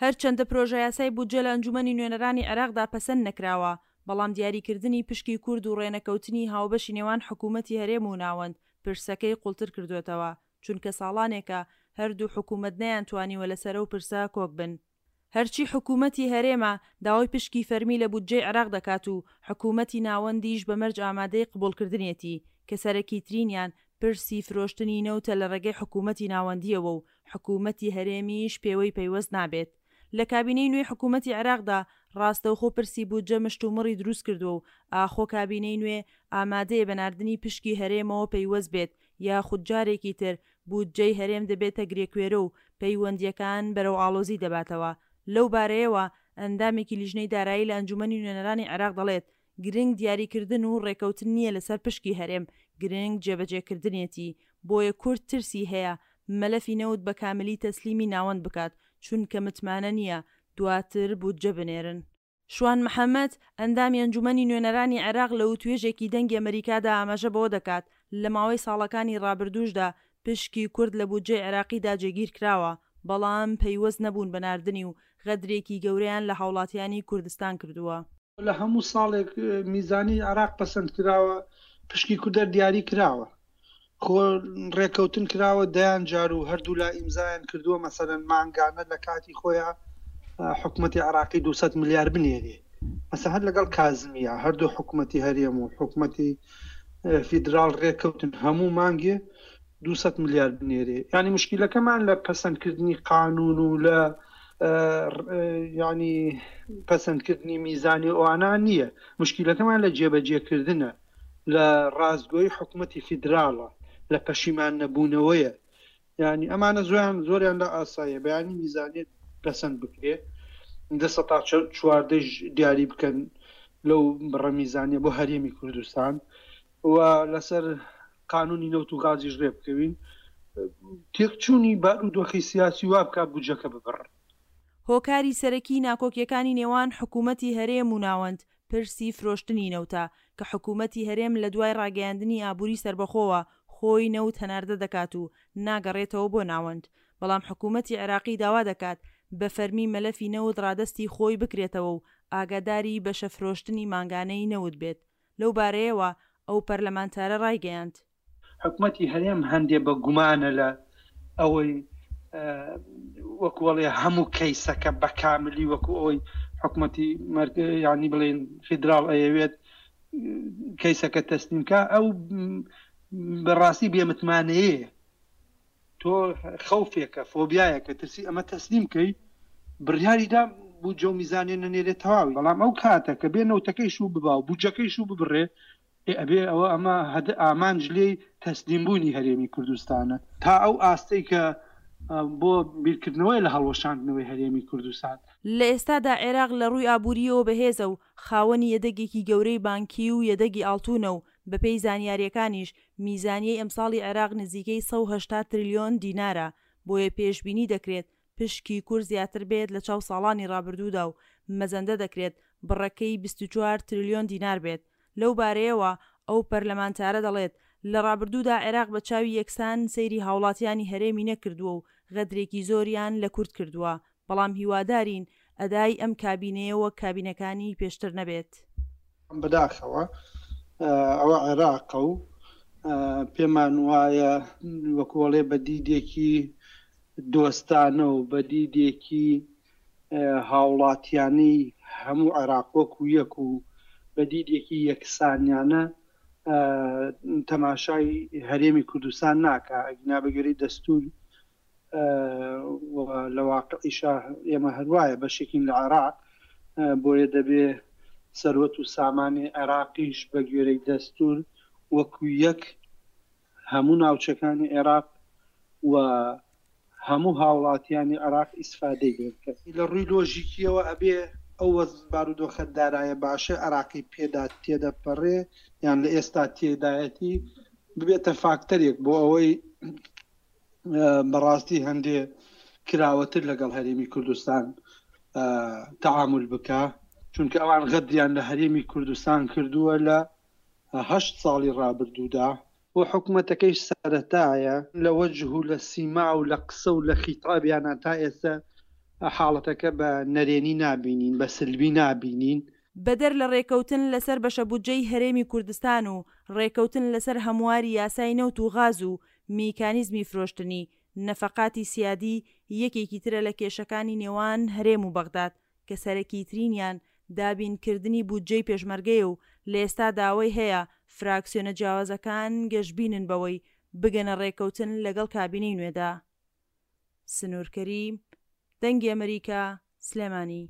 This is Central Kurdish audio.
هەرچەندە پرۆژەیاسای بودجە لە ئەنجومەنی نوێنەرانی عێراقدا پەسەند نەکراوە، بەڵام دیاریکردنی پشکی کورد و ڕێنەکەوتنی هاوبەشی نێوان حکومەتی هەرێم و ناوەند پرسەکەی قوڵتر کردووەتەوە، چونکە ساڵانێکە هەردوو حکومەت نەیانتوانیوە لەسەر ئەو پرسە کۆک بن. هەرچی حکومەتی هەرێمە داوای پشکی فەرمی لە بودجەی عێراق دەکات و حکومەتی ناوەندیش بە مەرج ئامادەی قبوڵکردنیەتی، کە سەرەکیترینیان پرسی فرۆشتنی نەوتە لە ڕێگەی حکومەتی ناوەندییەوە و حکومەتی هەرێمیش پێوەی پەیوەست نابێت. لە کابینەی نوێی حکومەتی عێراقدا ڕاستەوخۆ پرسی بودجە مشتومڕی دروستکردووە و ئاخۆ کابینەی نوێ ئامادەیە بە ناردنی پشکی هەرێمەوە پەیوەست بێت یاخود جارێکی تر بودجەی هەرێم دەبێتە گرێکوێرە و پەیوەندییەکان بەرەو ئاڵۆزی دەباتەوە. لەو بارەیەوە ئەندامێکی لیژنەی دارایی لە ئەنجومەنی نوێنەرانی عێراق دەڵێت، گرنگ دیاریکردن و ڕێکەوتن نییە لەسەر پشکی هەرێم، گرنگ جێبەجێکردنێتی، بۆیە کورد ترسی هەیە مەلەفی نەوت بە کاملی تەسلیمی ناوەند بکات، چونکە متمانە نییە دواتر بودجە بنێرن. شوان محەمەد، ئەندامی ئەنجومەنی نوێنەرانی عێراق لە وتوێژێکی دەنگی ئەمەریکادا ئاماژە بەوە دەکات، لە ماوەی ساڵەکانی ڕابردووشدا پشکی کورد لە بودجەی عێراقیدا جێگیر کراوە، بەڵام پەیوەست نەبوون بە ناردنی و غەدرێکی گەورەیان لە هاوڵاتیانی کوردستان کردووە. لە هەموو ساڵێک میزانی عێراق پەسەند کراوە پشکی کوردەر دیاری کراوە خۆ ڕێکەوتن کراوە دەیان جار و هەردوولا ئیمزایان کردووە مەسەلەن مانگانە لە کاتی خۆیان حکوومەتی عراقی 200 ملیار بنێرێ مەسە هەر لەگەڵ کازمیە هەردوو حکوومەتی هەرێم و حکوومەتی فیدراڵ ڕێککەوتن هەموو مانگێ 200 ملیار بنێرێ ینی مشکلەکەمان لە پەسەندکردنی قانون و لە ینی پەسەندکردنی میزانی ئەوانە نییە مشکلەکەمان لە جێبەجێکردنە لە ڕاستگۆی حکومەتی فیدراڵە لە پەشیمان نەبوونەوەیە یعنی ئەمانە زۆیان زۆریان لە ئاساییە بەیانی میزانیت پەسەند بکرێ دە سەتا چواردەش دیاری بکەن لەو بڕە میزانیە بۆ هەرێمی کوردستان و لەسەر قانونی نەوت و غازیش ڕێ بکەوین تێکچوونی بارودۆخی سیاسی وا بکات بودجەکە ببڕن. هۆکاری سەرەکی ناکۆکیەکانی نێوان حکومەتی هەرێم و ناوەند پرسی فرۆشتنی نەوتە، کە حکومەتی هەرێم لە دوای ڕاگەیاندنی ئابوری سەربەخۆوە خۆی نەوت هەناردە دەکات و ناگەڕێتەوە بۆ ناوەند، بەڵام حکومەتی عێراقی داوا دەکات بە فەرمی مەلەفی نەوت ڕادەستی خۆی بکرێتەوە و ئاگاداری بەشە فرۆشتنی مانگانەی نەوت بێت. لەو بارەیەوە ئەو پەرلەمانتارە ڕایگەیاند. حکومەتی هەرێم هەندێ بە گومانە لە ئەوەی وەکو ئەڵێ هەموو کەیسەکە بە کاملی وەکو ئەوەی حکومەتی ینی بڵێن فیدراڵ ئەیەوێت کەیسەکە تەسلیم کا ئەو بەڕاستی بێمتمانەیە تۆ خەوفێکە فۆبیایەکە ترسی ئەمە تەسلیم کەی بڕیاریدا بودجە و میزانیە نەنێرێت تەواوی بەڵام ئەو کاتە کە بێ نەوتەکەی شوو ببا و بودجەکەی شوو ببڕێ ئێ ئەبێ ئەوە ئەمە هەد ئامانج لێی تەسلیم بوونی هەرێمی کوردستانە تا ئەو ئاستەی کە بۆ بیرکردنەوەی لە هەڵوەشاندنەوەی هەرێمی کوردستان. لە ئێستادا عێراق لە ڕووی ئابوورییەوە بەهێزە و خاوەنی یەدەگێکی گەورەی بانکی و یەدەگی ئاڵتوونە و بەپێی زانیارییەکانیش میزانیەی ئەمساڵی عێراق نزیکەی 180 ترلیۆن دینارە، بۆیە پێشبینی دەکرێت پشکی کورد زیاتر بێت لە چاو ساڵانی رابردوودا و مەزەندە دەکرێت بڕەکەی 24 ترلیۆن دینار بێت. لەو بارەیەوە ئەو پەرلەمانتارە دەڵێت، لە رابردوودا عێراق بە چاوی یەکسان سەیری هاوڵاتیانی هەرێمی نەکردووە و غەدرێکی زۆریان لە کورد کردووە، بەڵام هیوادارین ئەدای ئەم کابینەیە وەک کابینەکانی پێشتر نەبێت. بەداخەوە ئەوە عێراقە و پێمان وایە وەکوەڵێ بە دیدێکی دۆستانە و بە دیدێکی هاوڵاتیانەی هەموو عێراق وەکو یەک و بە دیدێکی یەکسانیانە تەماشای هەرێمی کوردستان ناکا ئەگینا بەگوێرەی دەستور و لە واقعیشا ئێمە هەروایە بەشێکین لە عێراق بۆیە دەبێ سەروەت و سامانی عێراقیش بە گوێرەی دەستور وەکو یەک هەموو ناوچەکانی عێراق و هەموو هاوڵاتیانی عێراق ئیسفادەی لێ بکەن. لە ڕووی لۆژیکیەوە ئەبێ ئەو وەز بارودۆخە دارایە باشەی عێراقی پێدا تێدەپەڕێ یان لە ئێستا تێدایەتی ببێتە فاکتەرێک بۆ ئەوەی بەڕاستی هەندێ کراوەتر لەگەڵ هەرێمی کوردستان تەعامول بکە چونکە ئەوان غەدریان لە هەرێمی کوردستان کردووە لە هەشت ساڵی ڕابردوودا و حکومەتەکەیش سەرەتایە لە وەجه و لە سیما و لە قسە و لە خیتابیانا تا ئێستا. حاڵەتەکە بە نەرێنی نابینین، بە سلبی نابینین. بەدەر لە رێکەوتن لەسەر بەشە بودجەی هەرێمی کوردستان و رێکەوتن لەسەر هەمواری یاسای نەوت و غاز و میکانیزمی فرۆشتنی، نەفەقاتی سیادی یەکێکی ترە لە کێشەکانی نێوان هەرێم و بەغداد کە سەرەکیترینیان دابینکردنی بودجەی پێشمەرگەیە و لە ئێستادا ئەوەی هەیە فراکسیۆنە جیاوازەکان گەشبینن بەوەی بگەنە رێکەوتن لەگەڵ کابینەی نوێدا. سنوور کەریم، دەنگی ئەمریکا، سلێمانی.